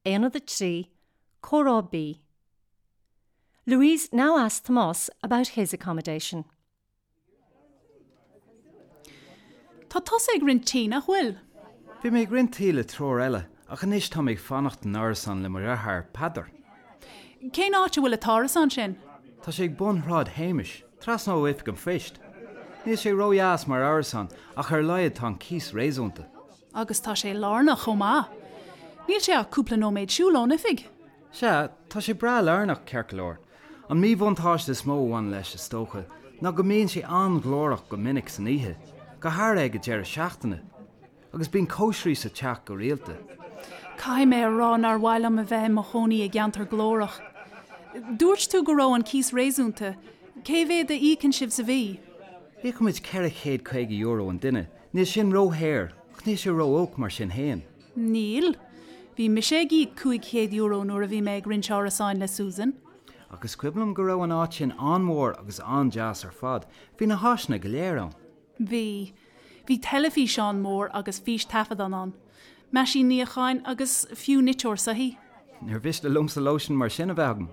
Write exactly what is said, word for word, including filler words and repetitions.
Aonad a trí, Comhrá B. Louise now asks Tomás about his accommodation. Tá tusa ag roinnt tí, nach bhfuil? Bhí mé ag roinnt tí le triúr eile, ach anois tá mé ag fanacht in árasán le mo dheartháir, Peadar. Cén áit a bhfuil an t-árasán sin? Tá sé ag bun Shráid Shéamais, trasna ó oifig an phoist. Níl sé ródheas mar árasán, ach ar a laghad tá an cíos réasúnta. Agus tá sé lárnach chomh maith. Níl sé ach cúpla nóiméad siúil ón oifig. Sea, tá sé breá lárnach, ceart go leor. An míbhuntáiste is mó a bhaineann leis, is dócha, ná go mbíonn sé an-ghlórach go minic san oíche, go háirithe ag an deireadh seachtaine. Agus bíonn cóisirí sa teach go rialta. Caithfidh mé a rá nár mhaith liom a bheith i mo chónaí i gceantar glórach. Dúirt tú go raibh an cíos réasúnta, cé mhéad a íocann sibh sa mhí? Íocaimid ceithre chéad caoga euro an duine, níl sin ródhaor, ach níl sé ró-olc mar sin féin. Níl. Bhí mise ag íoc cúig chéad euro nuair a bhí mé ag roinnt árasáin le Susan. Ach is cuimhin liom go raibh an áit sin an-mhór agus an-deas ar fad, bhí na háiseanna go léir ann. Bhí. Bhí teilifíseán mór agus fístaifeadán ann, meaisín níocháin agus fiú niteoir soithí. Níor mhiste liomsa lóistín mar sin a bheith agam.